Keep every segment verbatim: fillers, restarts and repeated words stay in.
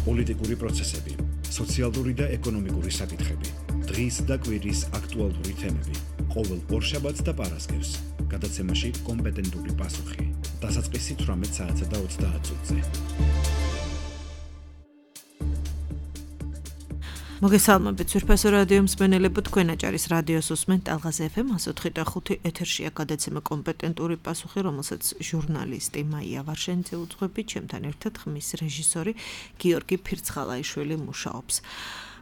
პოლიტიკური პროცესები, სოციალური და ეკონომიკური საკითხები, დღის და კვირის აქტუალური თემები, ყოველ ორშაბათს და პარასკევს, გადაცემაში კომპეტენტური პასუხი, დასაწყისი თვრამეტ საათსა და ოცდაათ წუთზე. მოგესალმებით, სურფასო რადიო მსმენელებო, თქვენ აჭარის რადიოს უსმენთ ტალღას ეფ ემ one oh three point five ეთერშია გადაცემა კომპეტენტური პასუხი, რომელსაც ჟურნალისტი მაია ვარშენიძე უძღვებით, ჩემთან ერთად ხმის რეჟისორი გიორგი ფირცხალაიშვილი მუშაობს.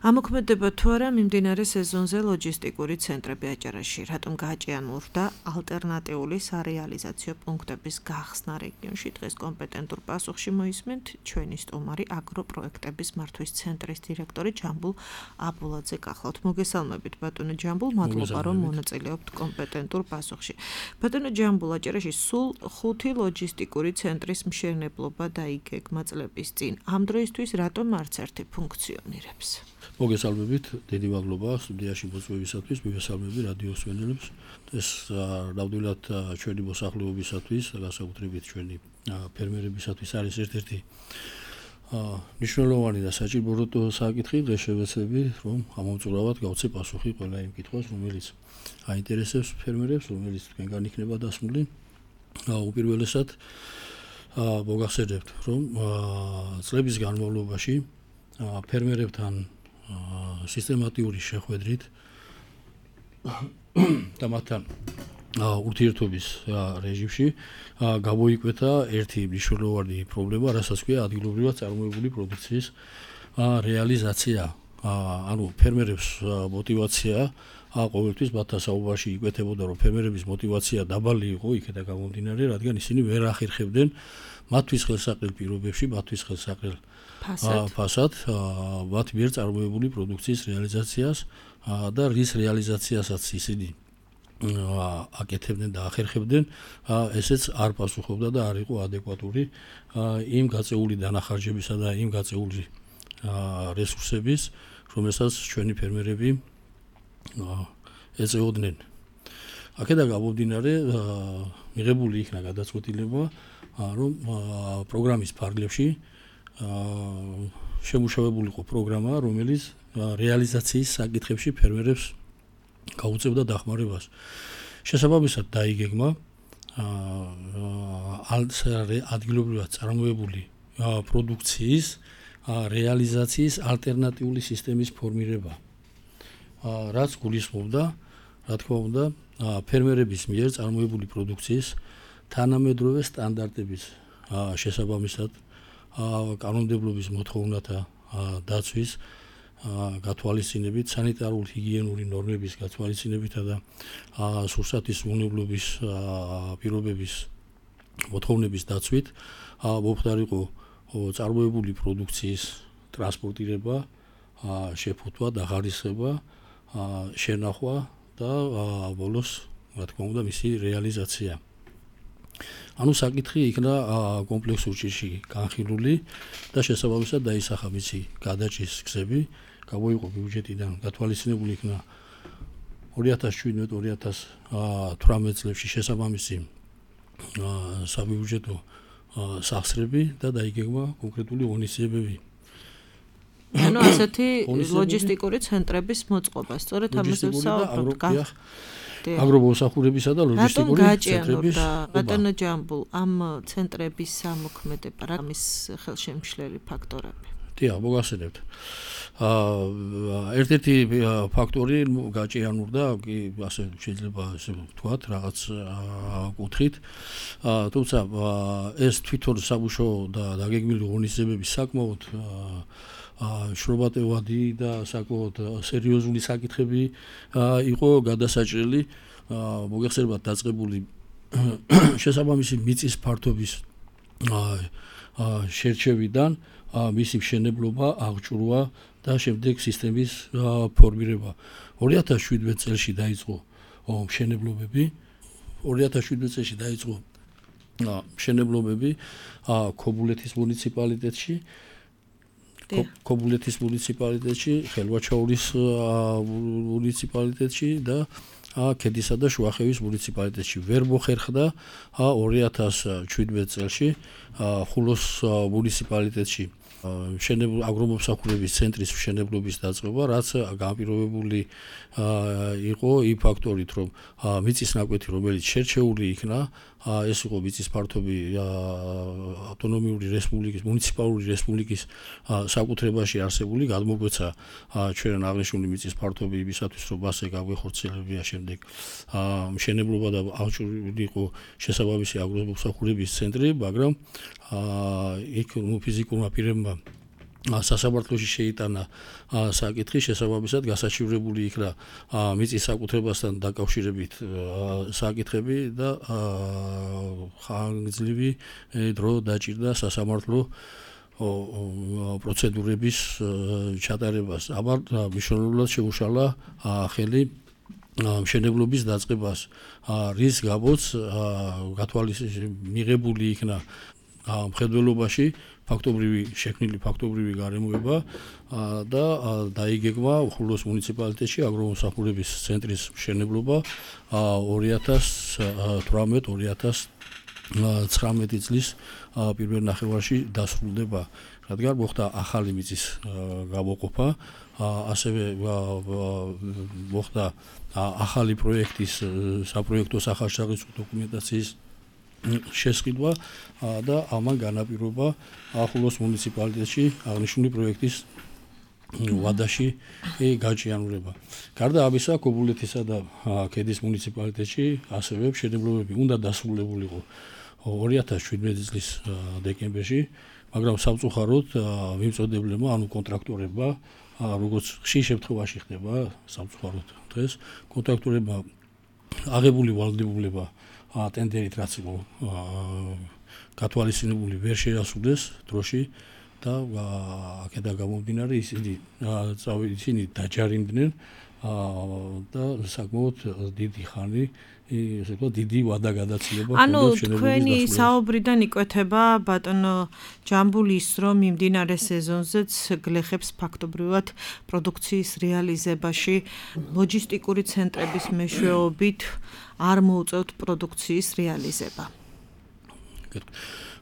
ამოქმედება თუ არა მიმდინარე სეზონზე ლოჯისტიკური ცენტრები აჭარაში, რატომ გააჭიანურდა ალტერნატიული სარეალიზაციო პუნქტების გახსნა რეგიონში, დღეს კომპეტენტურ პასუხში მოისმენთ ჩვენი სტუმარი აგროპროექტების მართვის ცენტრის დირექტორი ჯამბულ აბულაძე გახლავთ. მოგესალმებით ბატონო ჯამბულ, მადლობა რომ მონაწილეობთ კომპეტენტურ პასუხში. ბატონო ჯამბულ, აჭარაში სულ ხუთი ლოჯისტიკური ცენტრის მშენებლობა დაიგეგმა წლების წინ. ამ დროისთვის რატომ არც ერთი ფუნქციონირებს? მოგესალმებით, დიდი მადლობა სტუდიაში მოწვევისათვის, მივესალმები რადიო მსმენელებს. ეს ნამდვილად ჩვენი მოსახლეობისათვის და განსაკუთრებით ჩვენი ფერმერებისათვის არის ერთ-ერთი მნიშვნელოვანი და საჭირო საკითხი. დღეს შევეცდები, რომ ამომწურავად გავცე პასუხი ყველა იმ კითხვას, რომელიც აინტერესებს ფერმერებს, რომელიც თქვენგან იქნება დასმული. უპირველესად მოგახსენებთ, რომ წლების განმავლობაში ფერმერებთან სისტემატიური შეხვედრით და მათთან ურთიერთობის რეჟიმში გამოიკვეთა ერთი მნიშვნელოვანი პრობლემა, რასაც ქვია ადგილობრივად წარმოებული პროდუქციის რეალიზაცია. ანუ ფერმერებს მოტივაცია ყოველთვის მათთან საუბარში იკვეთებოდა, რომ ფერმერების მოტივაცია დაბალი იყო იქედა გამომდინარე, რადგან ისინი ვერ ახერხებდნენ მათთვის ხელსაყრელ პირობებში, მათთვის ხელსაყრელ ფასად მათ მიერ წარმოებული პროდუქციის რეალიზაციას და რის რეალიზაციასაც ისინი აკეთებდნენ და ახერხებდნენ, ესეც არ პასუხობდა და არ იყო ადეკვატური იმ გაწეული დანახარჯებისა და იმ გაწეული რესურსების, რომელსაც ჩვენი ფერმერები ეწეოდნენ. აქედან გამომდინარე, მიღებული იქნა გადაწყვეტილება, რომ პროგრამის ფარგლებში შემუშავებულიყო პროგრამა, რომელიც რეალიზაციის საკითხებში ფერმერებს გაუწევდა დახმარებას. შესაბამისად დაიგეგმა ადგილობრივად წარმოებული პროდუქციის რეალიზაციის ალტერნატიული სისტემის ფორმირება, რაც გულისხმობდა, რა თქმა უნდა, ფერმერების მიერ წარმოებული პროდუქციის თანამედროვე სტანდარტების შესაბამისად კანონმდებლობის მოთხოვნათა დაცვის გათვალისწინებით, სანიტარულ-ჰიგიენური ნორმების გათვალისწინებითა და სურსათის უნებლობის პირობების მოთხოვნების დაცვით მომხდარიყო წარმოებული პროდუქციის ტრანსპორტირება, შეფუთვა, დახარისხება, შენახვა და ბოლოს, რა თქმა უნდა, მისი რეალიზაცია. ანუ საკითხი იქნა კომპლექსურ ჭირში განხილული და შესაბამისად დაისახა მისი გადაჭრის გზები, გამოიყო ბიუჯეტიდან გათვალისწინებული იქნა ორი ათას შვიდმეტ ორი ათას თვრამეტ წლებში შესაბამისი საბიუჯეტო სახსრები და დაიგეგმა კონკრეტული ღონისძიებები. ანუ ასეთი ლოჯისტიკური ცენტრების მოწყობა, სწორედ ამაზე ვსაუბრობთ. აგრომოსახურებისა და ლოჯისტიკური ცენტრების ბატონო ჯამბულ, ამ ცენტრების ამოქმედება რა მის ხელშემშლელი ფაქტორები? დიახ, მოგახსენებთ. ერთ-ერთი ფაქტორი გაჭიანურდა, ასე შეიძლება ესე ვთქვათ, რაღაც კუთხით. თუმცა ეს თვითონ სამუშაო და დაგეგმილი ღონისძიებები საკმაოდ შრობატევადი და საკმაოდ სერიოზული საკითხები იყო გადასაჭრელი, მოგეხსენებათ დაწყებული შესაბამისი მიწის ფართობის შერჩევიდან მისი მშენებლობა, აღჭურვა და შემდეგ სისტემის ფორმირება. ორი ათას შვიდმეტ წელს დაიწყო მშენებლობები, ორი ათას შვიდმეტ წელს დაიწყო მშენებლობები ქობულეთის მუნიციპალიტეტში. ქობულეთის მუნიციპალიტეტში, ხელვაჩაურის მუნიციპალიტეტში და ქედისა და შუახევის მუნიციპალიტეტში. ვერ მოხერხდა ორი ათას შვიდმეტ წელს ხულოს მუნიციპალიტეტში მშენებლ აგრომომსახურების ცენტრის მშენებლობის დაწყება, რაც განპირობებული იყო იმ ფაქტორით, რომ მიწის ნაკვეთი, რომელიც შერჩეული იქნა, ეს იყო მიწის ფართობი ავტონომიური რესპუბლიკის, მუნიციპალური რესპუბლიკის საკუთრებაში არსებული, გადმოგვეცა ჩვენ აღნიშნული მიწის ფართობი იმისათვის, რომ მასზე გაგვეხორციელებია შემდეგ მშენებლობა და აღჭურვილი იყო შესაბამისი აგრომომსახურების ცენტრი, მაგრამ იქ ფიზიკურმა პირებმა სასამართლოში შეიტანა საკითხი, შესაბამისად გასაჩივრებული იქნა მიწის საკუთრებასთან დაკავშირებით საკითხები და ხანგრძლივი დრო დაჭირდა სასამართლო პროცედურების ჩატარებას. ამან მნიშვნელოვნად შეუშალა ხელი მშენებლობის დაწყებას, რის გამოც მიღებული იქნა მხედველობაში ფაქტობრივი შექმნილი ფაქტობრივი გარემოება და დაიგეგმა უხურლოს მუნიციპალიტეტში აგრომომსახურების ცენტრის მშენებლობა ორი ათას თვრამეტ ორი ათას ცხრამეტი წლის პირველ ნახევარში დასრულდება, რადგან მოხდა ახალი მიწის გამოყოფა, ასევე მოხდა ახალი პროექტის საპროექტო სახარშაღწევ დოკუმენტაციის შესყიდვა და ამან განაპირობა ახულოს მუნიციპალიტეტში აღნიშნული პროექტის ვადაში გაჭიანურება. გარდა ამისა, ქობულეთისა და ქედის მუნიციპალიტეტში ასევე მშენებლობები უნდა დასრულებულიყო ორი ათას შვიდმეტი წლის დეკემბერში, მაგრამ სამწუხაროდ მიმწოდებლებმა, ანუ კონტრაქტორებმა, როგორც ხშირ შემთხვევაში ხდება სამწუხაროდ დღეს, კონტრაქტორებმა აღებული ვალდებულება ტენდერით რაც იყო გათვალისწინებული ვერ შეასრულეს დროში და აქედან გამომდინარე ისინი ისინი დაჯარიმდნენ და საკმაოდ დიდი ხანი ესე ვთქვათ დიდი ვადა გადაცილება ანუ თქვენი საუბრიდან იკვეთება ბატონო ჯამბულის რომ მიმდინარე სეზონზეც გლეხებს ფაქტობრივად პროდუქციის რეალიზებაში ლოჯისტიკური ცენტრების მეშვეობით არ მოუწევთ პროდუქციის რეალიზება.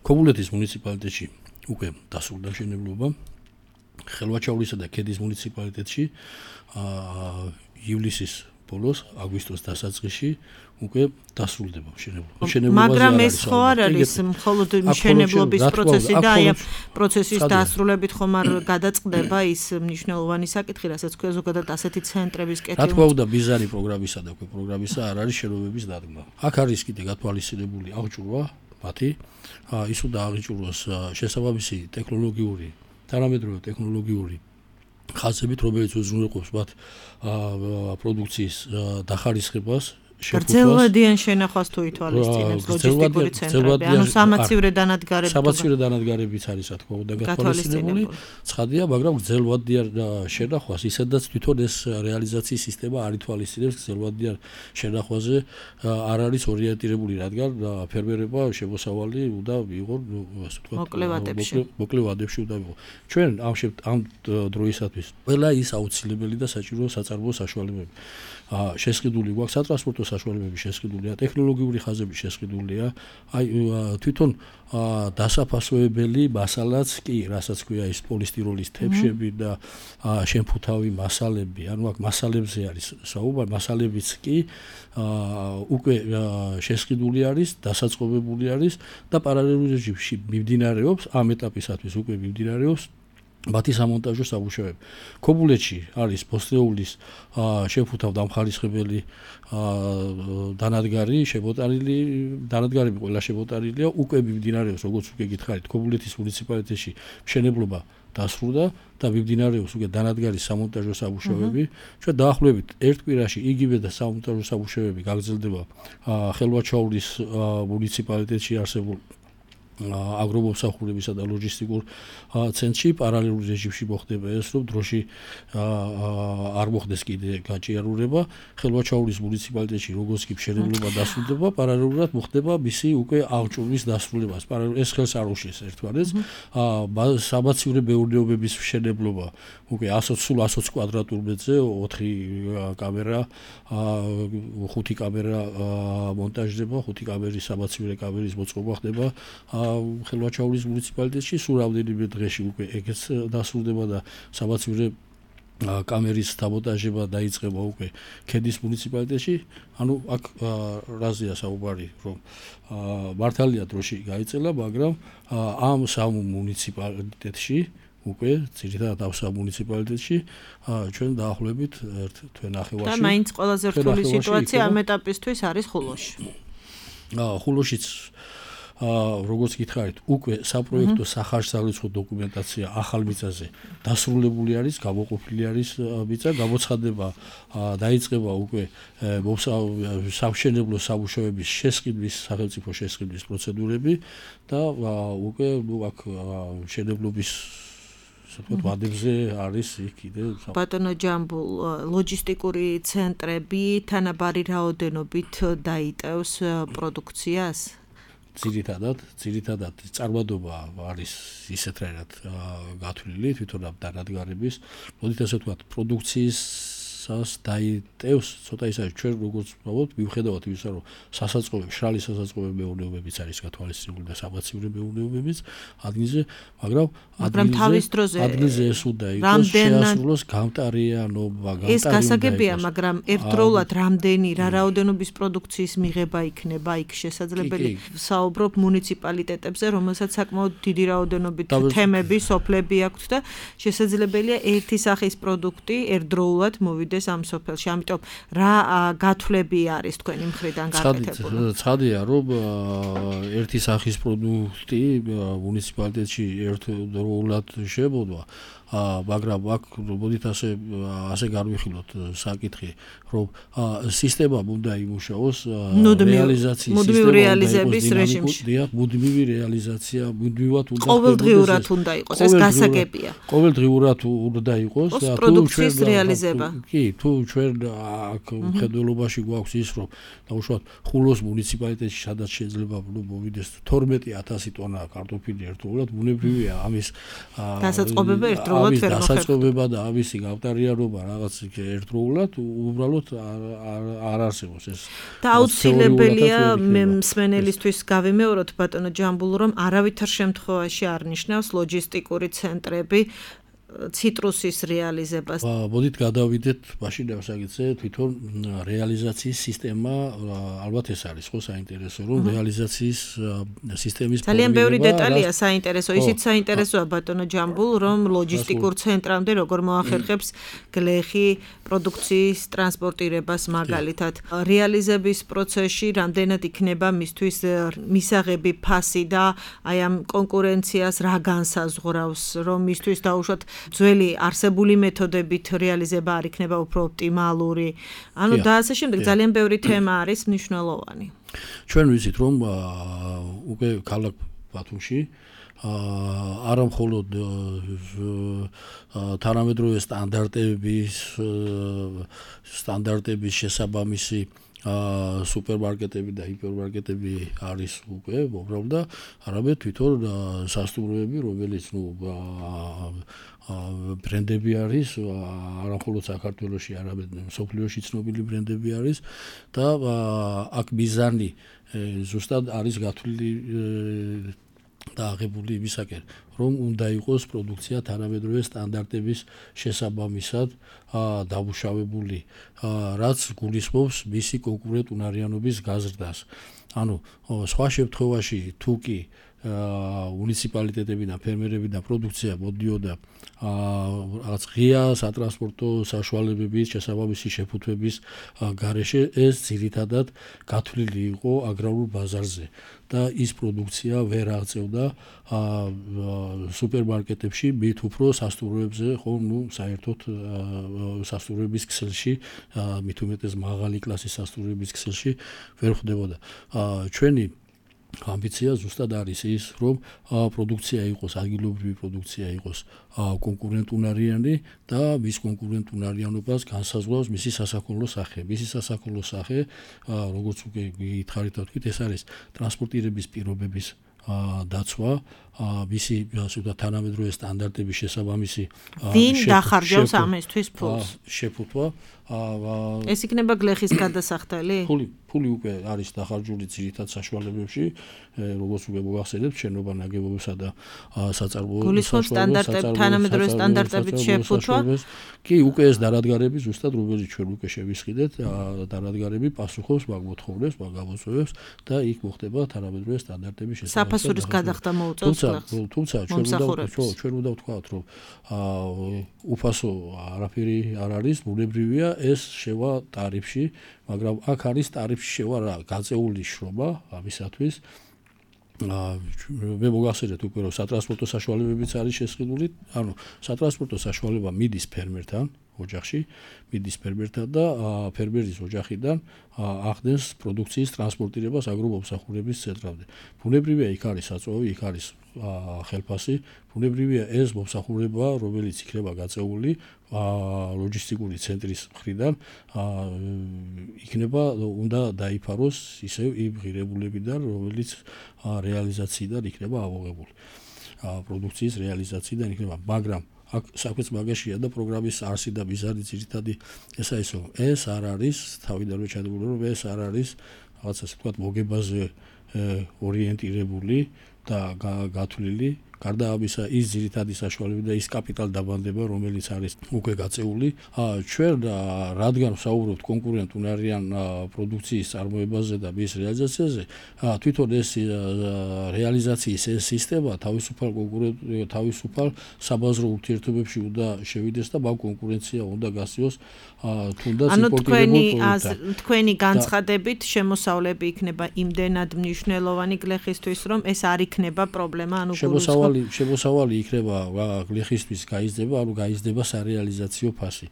ქობულეთის მუნიციპალიტეტში უკვე დასრულდა მშენებლობა, ხელვაჩაურისა და ქედის მუნიციპალიტეტში ივლისის ბოლოს, აგვისტოს დასაწყისში უკვე დასრულდება მშენებლობა. მაგრამ ეს ხო არ არის მხოლოდ მშენებლობის პროცესი და აი პროცესის დასრულებით ხომ არ გადაწყდება ის მნიშვნელოვანი საკითხი, რასაც ქვია ზოგადად ასეთი ცენტრების კეთილმოწყობა. რა თქმა უნდა, ბიზარი პროგრამისა და პროგრამისა არ არის შენობების დადგმა. აქ არის კიდე გათვალისწინებული აღჭურვა მათი, ის უნდა აღიჭურვოს შესაბამისი ტექნოლოგიური, თანამედროვე ტექნოლოგიური ხაზებით, რომელიც უზრუნველყოფს მათ პროდუქციის დახარისხებას, გრძელვადიან შენახვას თუ ითვალისწინებს ლოჯისტიკური ცენტრები, ანუ სამაცივრე დანადგარები. სამაცივრე დანადგარებიც არის, რა თქმა უნდა, გათვალისწინებული. ცხადია, მაგრამ გრძელვადიან შენახვას, ისედაც თვითონ ეს რეალიზაციის სისტემა არ ითვალისწინებს გრძელვადიან შენახვაზე არ არის ორიენტირებული, რადგან ფერმერებმა შემოსავალი უნდა მიიღონ, ასე ვთქვათ, მოკლე ვადებში უნდა მიიღონ. ჩვენ ამ ამ დროისათვის ყველა ის აუცილებელი და საჭირო საწარმოო საშუალებები შესყიდული გვაქვს, სატრანსპორტო საშუალებები შესყიდულია, ტექნოლოგიური ხაზები შესყიდულია, აი თვითონ დასაფასოებელი მასალაც კი, რასაც ქვია ის პოლისტიროლის თეფშები და შემფუთავი მასალები, ანუ აქ მასალებზე არის საუბარი, მასალებიც კი უკვე შესყიდული არის, დასაწყობებული არის და პარალელურ რეჟიმში მიმდინარეობს, ამ ეტაპისათვის უკვე მიმდინარეობს მათი სამონტაჟო სამუშაოები. ქობულეთში არის ბოსტეულის შემფუთავ დამხარისხებელი დანადგარი შემოტანილი, დანადგარები ყველა შემოტანილია, უკვე მიმდინარეობს, როგორც უკვე გითხარით, ქობულეთის მუნიციპალიტეტში მშენებლობა დასრულდა და მიმდინარეობს უკვე დანადგარის სამონტაჟო სამუშაოები. ჩვენ დაახლოებით ერთ კვირაში იგივე და სამონტაჟო სამუშაოები გაგრძელდება ხელვაჩაურის მუნიციპალიტეტში არსებულ აგრომომსახურებისა და ლოჯისტიკურ ცენტრში პარალელურ რეჟიმში მოხდება ეს, რომ დროში არ მოხდეს კიდე გაჭიანურება. ხელვაჩაურის მუნიციპალიტეტში როგორც კი მშენებლობა დასრულდება, პარალელურად მოხდება მისი უკვე აღჭურვის დასრულება. ეს ხელს არ უშლის ერთმანეთს. სამაცივრე მეურნეობების მშენებლობა უკვე სულ ათი კვადრატულ მეტრზე ოთხი კამერა, ხუთი კამერა მონტაჟდება, ხუთი კამერის სამაცივრე კამერის მოწყობა ხდება ხელვაჩაურის მუნიციპალიტეტში სულ რამდენიმე დღეში უკვე ეგეც დასრულდება და საბაცივე კამერის საბოტაჟება დაიწყება უკვე ქედის მუნიციპალიტეტში. ანუ აქ რაზეა საუბარი, რომ მართალია დროში გაიწელა, მაგრამ ამ სამ მუნიციპალიტეტში უკვე ძირითადად ამ სამ მუნიციპალიტეტში ჩვენ დაახლოებით ერთ თვე ნახევარში. და მაინც ყველაზე რთული სიტუაცია ამ ეტაპისთვის არის ხულოში. ხულოშიც აა როგორც გითხარით, უკვე საპროექტო სახარშსავლიცხო დოკუმენტაცია ახალ მიწაზე დასრულებული არის, გამოყოფილი არის მიწა, გამოცხადება დაიწყება უკვე სამშენებლო სამუშაოების შესყიდვის, სახელმწიფო შესყიდვის პროცედურები და უკვე ნუ აქ მშენებლობის საერთოდ ვადებზე არის იქ კიდე ბატონო ჯამბულ ლოჯისტიკური ცენტრები თანაბარი რაოდენობით დაიტევს პროდუქციას? ძირითადად, ძირითადად წარმატება არის ისეთ რაირად გათვლილი თვითონ ამ დანადგარების, მოდით ასე ვთქვათ, პროდუქციისას დაიტევს, ცოტა ის არის ჩვენ როგორც ვთქვათ, მიუხედავად იმისა, რომ სასაწყობი, მშრალი სასაწყობი მეურნეობებიც არის გათვალისწინებული და საბაცივე მეურნეობებიც ადგილზე, მაგრამ მაგრამ თავის დროზე ადგილზე ეს უნდა იყოს შეასრულოს გამტარიანობა, გამტარიანობა. ეს გასაგებია, მაგრამ ერთდროულად რამდენი რა რაოდენობის პროდუქციის მიღება იქნება იქ შესაძლებელი. საუბრობ მუნიციპალიტეტებზე, რომელსაც საკმაოდ დიდი რაოდენობით თემები, სოფლები აქვთ და შესაძლებელია ერთი სახის პროდუქტი ერთდროულად მოვიდეს ამ სოფელში. ამიტომ რა გათვლები არის თქვენი მხრიდან გაკეთებული? ცხადია, რომ ერთი სახის პროდუქტი მუნიციპალიტეტში ერთდროულად შებოდვა, მაგრამ აქ მოდით ასე ასე განვიხილოთ საკითხი, რომ სისტემა უნდა იმუშაოს რეალიზაციის მუდმივი რეალიზების რეჟიმში. დიახ, მუდმივი რეალიზაცია, მუდმივად უნდა ყოველდღიურად უნდა იყოს, ეს გასაგებია. ყოველდღიურად უნდა იყოს და თუ ჩვენ რეალიზება. კი, თუ ჩვენ აქ მხედველობაში გვაქვს ის, რომ დაუშვათ ხულოს მუნიციპალიტეტში სადაც შეიძლება მოვიდეს თორმეტი ათასი ტონა კარტოფილი ერთდროულად, ბუნებრივია ამის დასაწყობება ერთდროულად ვერ მოხერხდება. დასაწყობება და ამისი გამტარიანობა რაღაც ერთდროულად უბრალოდ არ არსებობს ეს. და აუცილებელია მე მსმენელისთვის გავიმეოროთ ბატონო ჯამბულ, რომ არავითარ შემთხვევაში არ ნიშნავს ლოჯისტიკური ცენტრები ციტრუსის რეალიზებას. მოდით გადავიდეთ მაშინ ასაგიცე თვითონ რეალიზაციის სისტემა ალბათ ეს არის ხო საინტერესო რომ რეალიზაციის სისტემის ძალიან ბევრი დეტალია საინტერესო. ისიც საინტერესოა ბატონო ჯამბულ, რომ ლოჯისტიკურ ცენტრამდე როგორ მოახერხებს გლეხი პროდუქციის ტრანსპორტირებას მაგალითად. რეალიზების პროცესში რამდენად იქნება მისთვის მისაღები ფასი და აი ამ კონკურენციას რა განსაზღვრავს, რომ მისთვის დაუშვათ ძველი არსებული მეთოდებით რეალიზება არ იქნება უფრო ოპტიმალური. ანუ და ასე შემდეგ ძალიან ბევრი თემა არის მნიშვნელოვანი. ჩვენ ვიცით რომ უკვე ქალაქ ბათუმში არა მხოლოდ თანამედროვე სტანდარტების სტანდარტების შესაბამისი სუპერმარკეტები და ჰიპერმარკეტები არის უკვე უბრალოდ და არამედ თვითონ სასტუმროები, რომელიც ნუ ბრენდები არის, არა მხოლოდ საქართველოში, არამედ მსოფლიოში ცნობილი ბრენდები არის და აქ მიზანი ზუსტად არის გათვლილი და აღებული იმისაკენ, რომ უნდა იყოს პროდუქცია თანამედროვე სტანდარტების შესაბამისად დამუშავებული, რაც გულისხმობს მისი კონკურენტუნარიანობის გაზრდას. ანუ სხვა შემთხვევაში თუ კი მუნიციპალიტეტები და ფერმერები და პროდუქცია მოდიოდა რაღაც ღია სატრანსპორტო საშუალებების შესაბამისი შეფუთვების გარეშე, ეს ძირითადად გათვლილი იყო აგრარულ ბაზარზე და ის პროდუქცია ვერ აღწევდა სუპერმარკეტებში, მით უფრო სასტუმროებზე, ხო, ნუ საერთოდ სასტუმროების ქსელში, მით უმეტეს მაღალი კლასის სასტუმროების ქსელში ვერ ხვდებოდა. ჩვენი ამბიცია ზუსტად არის ის, რომ პროდუქცია იყოს, ადგილობრივი პროდუქცია იყოს კონკურენტუნარიანი და მის კონკურენტუნარიანობას განსაზღვრავს მისი სასაქონლო სახე. მისი სასაქონლო სახე, როგორც უკვე გითხარით და თქვით, ეს არის ტრანსპორტირების პირობების დაცვა, მისი ასე ვთქვათ თანამედროვე სტანდარტების შესაბამისი ვინ დახარჯავს ამისთვის ფულს შეფუთვა ეს იქნება გლეხის გადასახდელი ფული ფული უკვე არის დახარჯული ძირითად საშუალებებში როგორც უკვე მოგახსენებთ შენობა ნაგებობებსა და საწარმოო გულისხმობს სტანდარტები თანამედროვე სტანდარტებით შეფუთვა კი უკვე ეს დარადგარები ზუსტად რომელიც ჩვენ უკვე შევისყიდეთ დარადგარები პასუხობს მაგ მოთხოვნებს მაგ გამოწვევებს და იქ მოხდება თანამედროვე სტანდარტების შესაბამისად საფასურის გადახდა მოუწევს თუმცა ჩვენ უნდა ჩვენ უნდა ვთქვათ რომ უფასო არაფერი არ არის ბუნებრივია ეს შევა ტარიფში მაგრამ აქ არის ტარიფში შევა რა გაწეული შრომა ამისათვის მე მოგახსენეთ უკვე რომ სატრანსპორტო საშუალებებიც არის შესყიდული ანუ სატრანსპორტო საშუალება მიდის ფერმერთან ოჯახში მიდის ფერმერთან და ფერმერის ოჯახიდან ახდენს პროდუქციის ტრანსპორტირებას აგრომომსახურების ცენტრამდე. ბუნებრივია იქ არის საწვავი, იქ არის ხელფასი, ბუნებრივია ეს მომსახურება, რომელიც იქნება გაწეული ლოჯისტიკური ცენტრის მხრიდან, იქნება უნდა დაიფაროს ისევ იმ ღირებულებიდან, რომელიც რეალიზაციიდან იქნება ავოღებული. პროდუქციის რეალიზაციიდან იქნება, მაგრამ აქ საქმეც მაგაშია და პროგრამის არსი და მიზანი ძირითადი ესა ისო ეს არ არის თავიდანვე ჩადებული რომ ეს არ არის რაღაცა ასე ვთქვათ მოგებაზე ორიენტირებული და გათვლილი გარდა ამისა ის ძირითადი საშუალება და ის კაპიტალ დაბანდება რომელიც არის უკვე გაწეული ჩვენ რადგან ვსაუბრობთ კონკურენტუნარიან პროდუქციის წარმოებაზე და მის რეალიზაციაზე თვითონ ეს რეალიზაციის ეს სისტემა თავისუფალ კონკურენტ თავისუფალ საბაზრო ურთიერთობებში უნდა შევიდეს და მაგ კონკურენცია უნდა გასწიოს თუნდაც იმპორტირებულ პროდუქტთან თქვენი განცხადებით შემოსავლები იქნება იმდენად მნიშვნელოვანი გლეხისთვის რომ ეს არ იქნება პრობლემა ანუ შემოსავალი იქნება გლეხისთვის გაიზრდება, ანუ გაიზრდება სარეალიზაციო ფასი.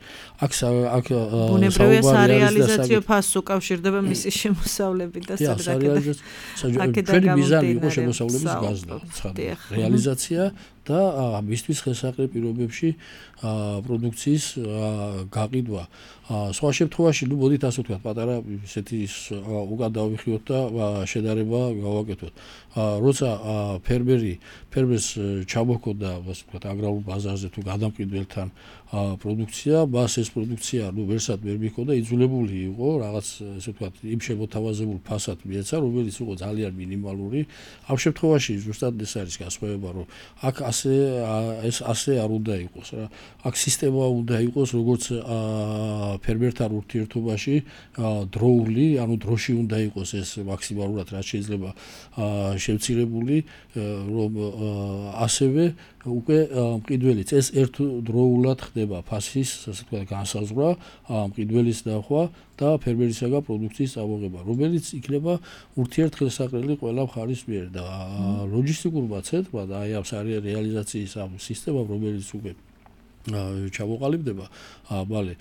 აქ აქ ბუნებრივია სარეალიზაციო ფასს უკავშირდება მისი შემოსავლებით და სადაც ჩვენი მიზანი იყო შემოსავლების გაზრდა, რეალიზაცია და მისთვის ხელსაყრელ პირობებში პროდუქციის გაყიდვა. სხვა შემთხვევაში, ნუ მოდით ასე ვთქვათ, პატარა ესეთი უკან დავიხიოთ და შედარება გავაკეთოთ. როცა ფერმერი ფერმერს ჩამოჰქონდა, ასე ვთქვათ, აგრარულ ბაზარზე თუ გადამყიდველთან პროდუქცია, მას ეს პროდუქცია, ნუ ვერსად ვერ მიქონდა, იძულებული იყო რაღაც, ასე ვთქვათ, იმ შემოთავაზებულ ფასად მიეცა, რომელიც იყო ძალიან მინიმალური. ამ შემთხვევაში ზუსტად ეს არის განსხვავება, რომ აქ ასე ეს ასე არ უნდა იყოს რა. აქ სისტემა უნდა იყოს, როგორც ფერმერთან ურთიერთობაში დროული, ანუ დროში უნდა იყოს ეს მაქსიმალურად რაც შეიძლება შევცირებული, რომ ასევე უკვე მყიდველიც ეს ერთდროულად ხდება ფასის, ასე ვთქვათ, განსაზღვრა, მყიდველის ნახვა და ფერმერისაგან პროდუქციის წამოღება, რომელიც იქნება ურთიერთხელსაყრელი ყველა მხარის მიერ და ლოჯისტიკურმა ცენტრმა და აი ამ რეალიზაციის ამ სისტემამ, რომელიც უკვე ჩამოყალიბდება, ბალე,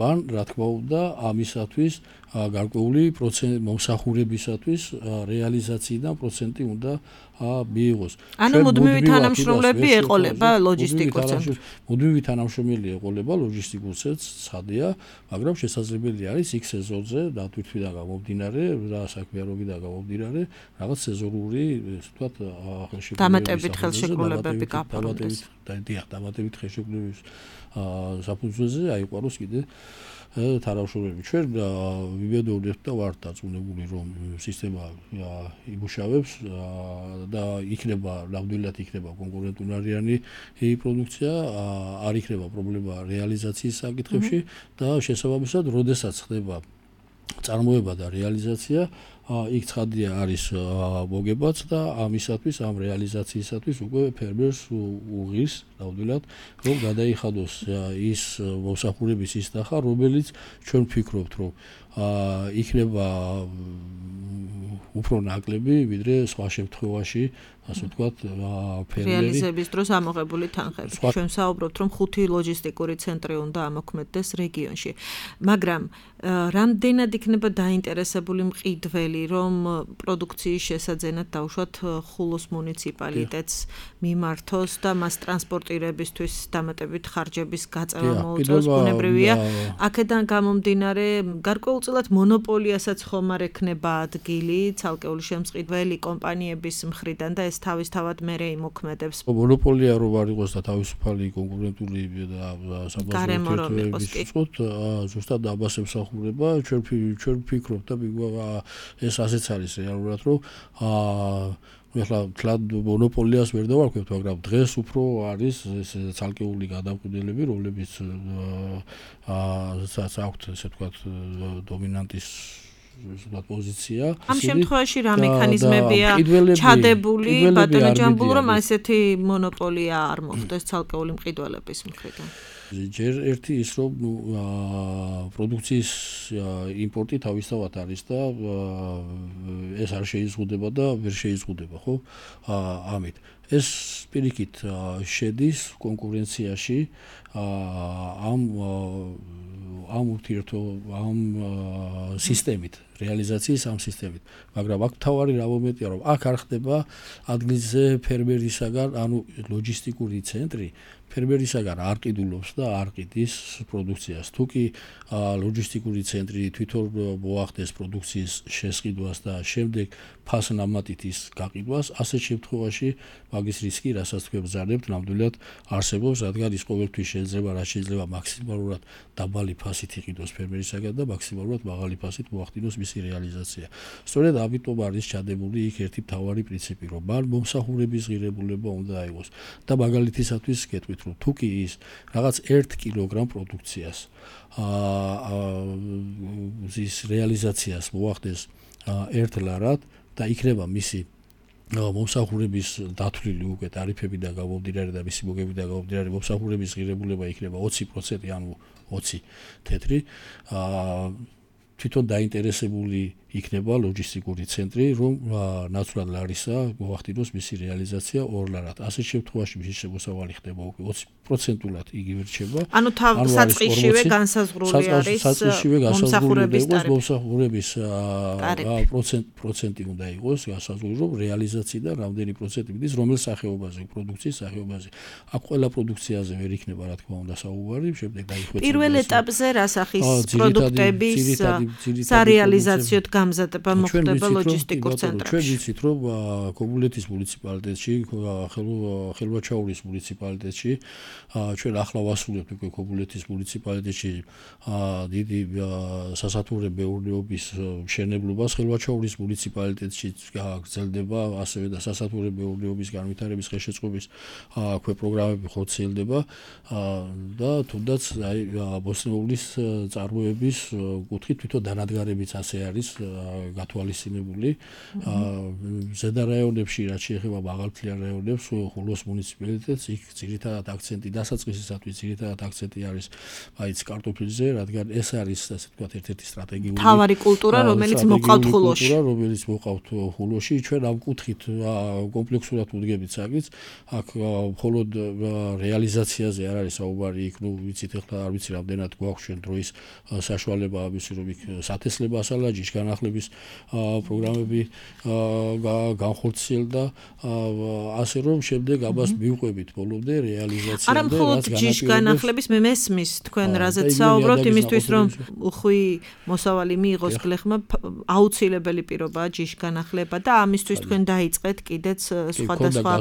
ბან რა თქმა უნდა ამისათვის გარკვეული პროცენტი მომსახურებისათვის რეალიზაციიდან პროცენტი უნდა მიიღოს. ანუ მუდმივი თანამშრომლები ეყოლება ლოჯისტიკურ ცენტრს. მუდმივი თანამშრომელი ეყოლება ლოჯისტიკურ ცენტრს, ცხადია, მაგრამ შესაძლებელი არის იქ სეზონზე დათვითვიდან გამომდინარე და საქმიანობიდან გამომდინარე რაღაც სეზონური, ასე ვთქვათ, დამატებით ხელშეკრულებები გაფორმდეს. დიახ, დამატებით ხელშეკრულების საფუძველზე აიყვანოს კიდე თანამშრომლები. ჩვენ ვიბედოვნებთ და ვართ დაწუნებული, რომ სისტემა იმუშავებს და იქნება ნამდვილად იქნება კონკურენტუნარიანი პროდუქცია, არ იქნება პრობლემა რეალიზაციის საკითხებში და შესაბამისად, როდესაც ხდება წარმოება და რეალიზაცია, იქ ცხადია არის მოგებაც და ამისათვის ამ რეალიზაციისათვის უკვე ფერმერს უღირს ნამდვილად რომ გადაიხადოს ის მომსახურების ის ნახა, რომელიც ჩვენ ვფიქრობთ, რომ იქნება უფრო ნაკლები, ვიდრე სხვა შემთხვევაში, ასე ვთქვათ, ფერმერი რეალიზების დროს ამოღებული თანხები. ჩვენ საუბრობთ, რომ ხუთი ლოჯისტიკური ცენტრი უნდა ამოქმედდეს რეგიონში. მაგრამ რამდენად იქნება დაინტერესებული მყიდველი რომ პროდუქციის შესაძენად დავუშვათ ხულოს მუნიციპალიტეტს მიმართოს და მას ტრანსპორტირებისთვის დამატებით ხარჯების გაწევა მოუწევს, ბუნებრივია. აქედან გამომდინარე, გარკვეულწილად მონოპოლიასაც ხომ არ ექნება ადგილი ცალკეული შემწყიდველი კომპანიების მხრიდან და ეს თავისთავად მერე იმოქმედებს. მონოპოლია რო არ იყოს და თავისუფალი კონკურენტული და საბაზრო ურთიერთობების უწყოთ, ზუსტად ამას ემსახურება. ჩვენ ჩვენ ვფიქრობთ და ეს ასეც არის რეალურად, რომ ახლა თლად მონოპოლიას ვერ დავარქვევთ, მაგრამ დღეს უფრო არის ეს ცალკეული გადამკვიდელები, რომლებიც აა აქვთ ესე ვთქვათ დომინანტის ზუსტად პოზიცია. ამ შემთხვევაში რა მექანიზმებია ჩადებული ბატონო ჯამბულ, რომ ასეთი მონოპოლია არ მოხდეს ცალკეული მყიდველების მხრიდან? ჯერ ერთი ის რომ პროდუქციის იმპორტი თავისთავად არის და ეს არ შეიზღუდება და ვერ შეიზღუდება, ხო? ამით ეს პირიქით შედის კონკურენციაში ამ ამ ურთიერთო ამ სისტემით, რეალიზაციის ამ სისტემით. მაგრამ აქ თავარი რა მომენტია, რომ აქ არ ხდება ადგილზე ფერმერისაგან, ანუ ლოჯისტიკური ცენტრი ფერმერისაგან არ ყიდულობს და არ ყიდის პროდუქციას. თუ კი ლოჯისტიკური ცენტრი თვითონ მოახდეს პროდუქციის შესყიდვას და შემდეგ ფასნამატით ის გაყიდვას, ასეთ შემთხვევაში მაგის რისკი, რასაც თქვენ ბრძანებთ, ნამდვილად არსებობს, რადგან ის ყოველთვის შეიძლება, რაც შეიძლება მაქსიმალურად დაბალი ფასით იყიდოს ფერმერისაგან და მაქსიმალურად მაღალი ფასით მოახდინოს მისი რეალიზაცია. სწორედ ამიტომ არის ჩადებული იქ ერთი მთავარი პრინციპი, რომ მან მომსახურების ღირებულება უნდა აიღოს და მაგალითისათვის გეტყვით, რომ თუ კი ის რაღაც ერთ კილოგრამ პროდუქციას აა ის რეალიზაციას მოახდეს ერთ ლარად და იქნება მისი მომსახურების დათვლილი უკვე ტარიფები და გამომდინარე და მისი მოგები და გამომდინარე მომსახურების ღირებულება იქნება ოცი პროცენტი, ანუ ოცი თეთრი აა თვითონ დაინტერესებული იქნება ლოჯისტიკური ცენტრი, რომ ნაცვლად ლარისა მოახდინოს მისი რეალიზაცია ორ ლარად. ასეთ შემთხვევაში მისი შემოსავალი ხდება უკვე ოცი პროცენტულად იგივე რჩება. ანუ საწყისშივე განსაზღვრული არის საწყისშივე განსაზღვრული იყოს მომსახურების პროცენტი უნდა იყოს განსაზღვრული, რომ რეალიზაციიდან რამდენი პროცენტი მიდის, რომელ სახეობაზე, პროდუქციის სახეობაზე. აქ ყველა პროდუქციაზე ვერ იქნება რა თქმა უნდა საუბარი, შემდეგ დაიხვეწება. პირველ ეტაპზე რა სახის პროდუქტების სარეალიზაციოდ გამზადება მოხდება ლოჯისტიკურ ცენტრებში. ჩვენ ვიცით, რომ ქობულეთის მუნიციპალიტეტში, ხელვაჩაურის მუნიციპალიტეტში, ჩვენ ახლა ვასრულებთ უკვე ქობულეთის მუნიციპალიტეტში დიდი სასათურე მეურნეობის მშენებლობას, ხელვაჩაურის მუნიციპალიტეტში გაგრძელდება ასევე და სასათურე მეურნეობის განვითარების ხელშეწყობის ქვე პროგრამები ხორციელდება და თუნდაც აი ბოსნიულის წარმოების კუთხით თვითონ დანადგარებიც ასე არის გათვალისწინებული. ზედა რაიონებში, რაც შეეხება მაღალმთიან რაიონებს, ხულოს მუნიციპალიტეტს იქ ძირითადად აქცენტი დასაწყისისათვის ძირითადად აქცენტი არის მაინც კარტოფილზე, რადგან ეს არის ასე ვთქვათ ერთ-ერთი სტრატეგიული მთავარი კულტურა, რომელიც მოყავთ ხულოში. კულტურა, რომელიც მოყავთ ხულოში, ჩვენ ამ კუთხით კომპლექსურად ვუდგებით საკითხს. აქ მხოლოდ რეალიზაციაზე არ არის საუბარი, იქ ნუ ვიცით ახლა არ ვიცი რამდენად გვაქვს ჩვენ დროის საშუალება ამისი, რომ იქ სათესლება ასალა ჯიშგანახლების პროგრამები განხორციელდა, ასე რომ შემდეგ ამას მივყვებით ბოლომდე რეალიზაციამდე. არა მხოლოდ ჯიშგანახლების, მე მესმის თქვენ რაზეც საუბრობთ, იმისთვის რომ უხვი მოსავალი მიიღოს გლეხმა, აუცილებელი პირობაა ჯიშგანახლება და ამისთვის თქვენ დაიწყეთ კიდეც სხვადასხვა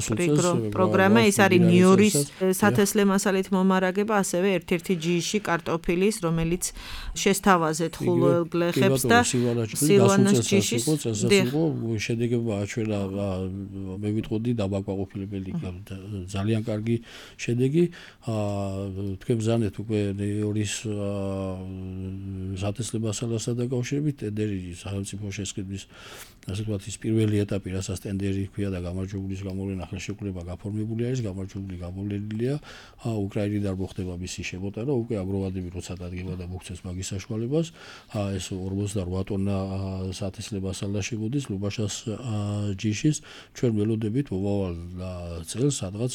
პროგრამა, ეს არის ნიორის სათესლე მასალით მომარაგება, ასევე ერთ-ერთი ჯიში კარტოფილის, რომელიც შესთავაზეთ ხულოელ გლეხებს და სილვანას ჯიშის შედეგება აჩვენა, მე ვიტყოდი დამაკმაყოფილებელი, ძალიან კარგი შედეგი. თქვენ ბრძანეთ უკვე ნიორის სათესლე მასალასთან დაკავშირებით ტენდერი სახელმწიფო შესყიდვის ასე ვთქვათ ის პირველი ეტაპი, რასაც ტენდერი ჰქვია და გამარჯვებულის გამოვლენა ხელშეკრულება გაფორმებული არის, გამარჯვებული გამოვლენილია. უკრაინიდან მოხდება მისი შემოტანა, უკვე აგროვადები როცა დადგება და მოგცეს მაგის საშუალებას, ეს ორმოცდარვა ტონა სათესლებას ალაშებოდის ლუბაშას ჯიშის ჩვენ ველოდებით მომავალ წელს სადღაც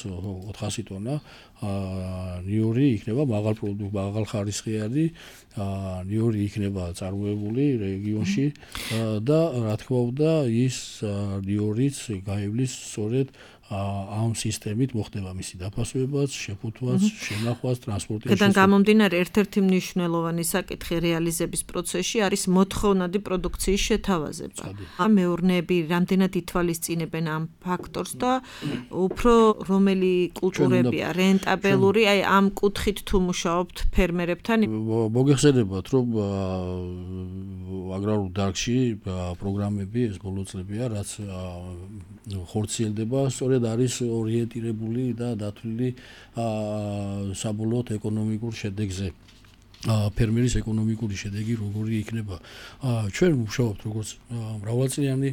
ოთხასი ტონა ნიორი იქნება მაღალ პროდუქტ მაღალ ხარისხიანი ნიორი იქნება წარმოებული რეგიონში და რა თქმა უნდა ის ნიორიც გაივლის სწორედ ამ სისტემით მოხდება მისი დაფასებაც, შეფუთვაც, შენახვაც, ტრანსპორტის. Გადან გამომდინარე ერთ-ერთი მნიშვნელოვანი საკითხი რეალიზების პროცესში არის მოთხოვნადი პროდუქციის შეთავაზება. მეურნეები რამდენად ითვალისწინებენ ამ ფაქტორს და უფრო რომელი კულტურებია რენტაბელური, აი ამ კუთხით თუ მუშაობთ ფერმერებთან? მოგეხსენებათ, რომ აგრარულ დარგში პროგრამები ეს ბოლო წლებია, რაც ხორციელდება სწორედ არის ორიენტირებული და დათვლილი საბოლოოდ ეკონომიკურ შედეგზე. ფერმერის ეკონომიკური შედეგი როგორი იქნება. ჩვენ ვმუშაობთ როგორც მრავალწლიანი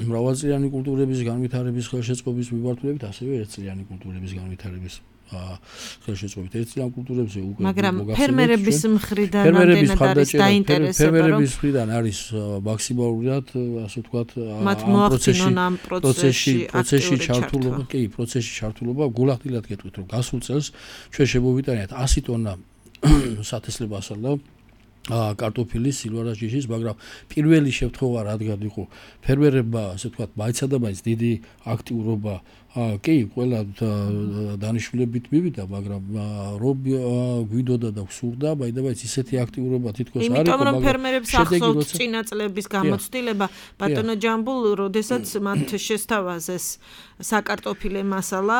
მრავალწლიანი კულტურების განვითარების ხელშეწყობის მიმართულებით, ასევე ერთწლიანი კულტურების განვითარების ხელშეწყობით. ერთწლიან კულტურებზე უკვე მაგრამ ფერმერების მხრიდან რამდენად არის დაინტერესება, ფერმერების მხრიდან არის მაქსიმალურად, ასე ვთქვათ, ამ პროცესში პროცესში ჩართულობა, კი, პროცესში ჩართულობა გულახდილად გეტყვით, რომ გასულ წელს ჩვენ შემოვიტანეთ ასი ტონა სათესლებას და კარტოფილის სილვარას ჯიშის, მაგრამ პირველი შემთხვევა რადგან იყო ფერმერებმა, ასე ვთქვათ, მაინცა და მაინც დიდი აქტიურობა კი, ყველა დანიშნულებით მივიდა, მაგრამ რომ გვიდოდა და გვსურდა, მაინც ისეთი აქტიურობა თითქოს არ იყო, მაგრამ იმიტომ რომ ფერმერებს ახსოვთ წინა წლების გამოცდილება, ბატონო ჯამბულ, როდესაც მათ შესთავაზეს საკარტოფილე მასალა,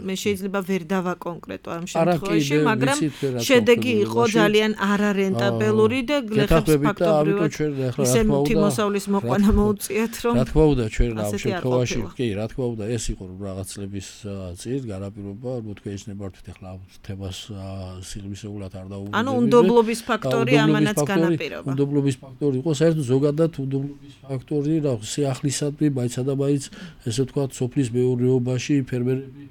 მე შეიძლება ვერ დავაკონკრეტო ამ შემთხვევაში, მაგრამ შედეგი იყო ძალიან არარენტაბელური და გლეხებს ფაქტობრივად ისე თიმოსავლის მოყვანა მოუწიათ, რომ რა თქმა უნდა ჩვენ ამ შემთხვევაში, კი, რა თქმა უნდა ეს იყო რაღაც წლების წინ განაპირობა, მოთქვი ეცნებართვით ახლა თემას სიღრმისეულად არ დაუბრუნდები. ანუ უნდობლობის ფაქტორი ამანაც განაპირობა. უნდობლობის ფაქტორი იყო საერთოდ ზოგადად უნდობლობის ფაქტორი, რა სიახლისადმი, მაინცა და მაინც ესე ვთქვათ, სოფლის მეურნეობაში ფერმერები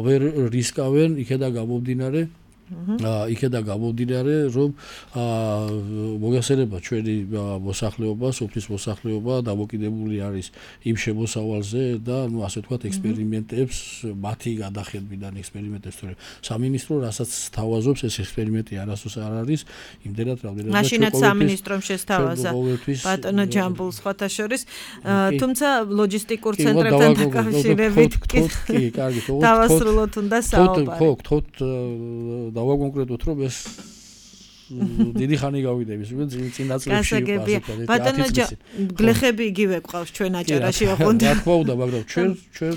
ვერ რისკავენ, იქედან გამომდინარე იქედან გამომდინარე, რომ მოგეხსენება ჩვენი მოსახლეობა, სოფლის მოსახლეობა დამოკიდებული არის იმ შემოსავალზე და ნუ ასე ვთქვათ ექსპერიმენტებს, მათი გადახედვიდან ექსპერიმენტებს, თორემ სამინისტრო რასაც თავაზობს, ეს ექსპერიმენტი არასდროს არ არის, იმდენად რამდენადაც მაშინაც სამინისტრომ შესთავაზა ბატონო ჯამბულ სხვათა შორის, თუმცა ლოჯისტიკურ ცენტრებთან დაკავშირებით კი, კარგი, თქო, დავასრულოთ უნდა საუბარი. ხო, თქო, დავაკონკრეტოთ, რომ ეს დიდი ხანი გავიდების, უკვე წინა წლებში იყო ასე ვთქვათ. ბატონო გლეხები იგივე ყავს ჩვენ აჭარაში ოღონდ. რა თქმა უნდა, მაგრამ ჩვენ ჩვენ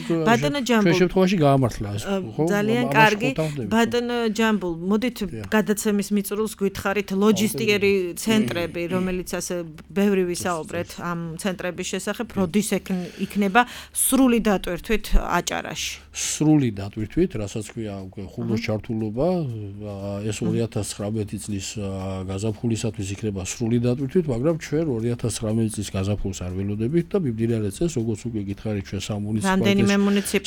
ჩვენ შემთხვევაში გაამართლა ეს, ხო? ძალიან კარგი. ბატონო ჯამბულ, მოდით გადაცემის მიწურულს გითხარით ლოჯისტიკერი ცენტრები, რომელიც ასე ბევრი ვისაუბრეთ ამ ცენტრების შესახებ, როდის იქნება სრული დატვირთვით აჭარაში? სრული დატვირთვით, რასაც ქვია უკვე ხუბოს ჩართულობა, ეს ორი ათას ცხრამეტი წლის გაზაფხულისათვის იქნება სრული დატვირთვით, მაგრამ ჩვენ ორი ათას ცხრამეტი წლის გაზაფხულს არ ველოდებით და მიმდინარე წელს, როგორც უკვე გითხარით, ჩვენ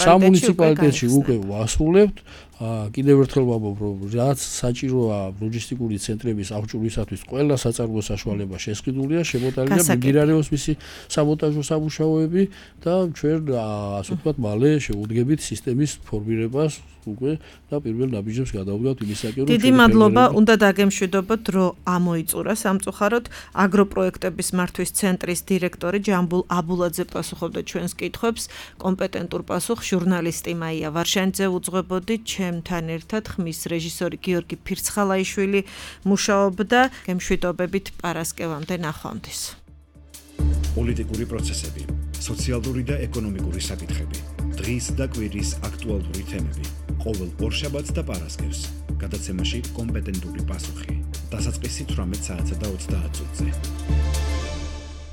სამუნიციპალიტეტში უკვე ვასრულებთ. კიდევ ერთხელ ვამბობ, რომ რაც საჭიროა ლოჯისტიკური ცენტრების აღჭურვისათვის, ყველა საწარმო საშუალება შესყიდულია, შემოტანილია, მიმდინარეობს მისი საბოტაჟო სამუშაოები და ჩვენ ასე ვთქვათ, მალე შევუდგებით სისტემის ფორმირებას უკვე და პირველ ნაბიჯებს გადავდგავთ იმისაკენ, რომ დიდი მადლობა, უნდა დაგემშვიდობოთ, რომ ამოიწურა სამწუხაროდ აგროპროექტების მართვის ცენტრის დირექტორი ჯამბულ აბულაძე პასუხობდა ჩვენს კითხვებს, კომპეტენტურ პასუხს ჟურნალისტი მაია ვარშანიძე უძღვებოდი, ჩემთან ერთად ხმის რეჟისორი გიორგი ფირცხალაიშვილი მუშაობდა, გემშვიდობებით პარასკევამდე ნახვამდის. პოლიტიკური პროცესები, სოციალური და ეკონომიკური საკითხები, დღის და კვირის აქტუალური თემები, ყოველ ორშაბათს და პარასკევს, გადაცემაში კომპეტენტური პასუხი, დასაწყისი თვრამეტ საათსა და ოცდაათ წუთზე.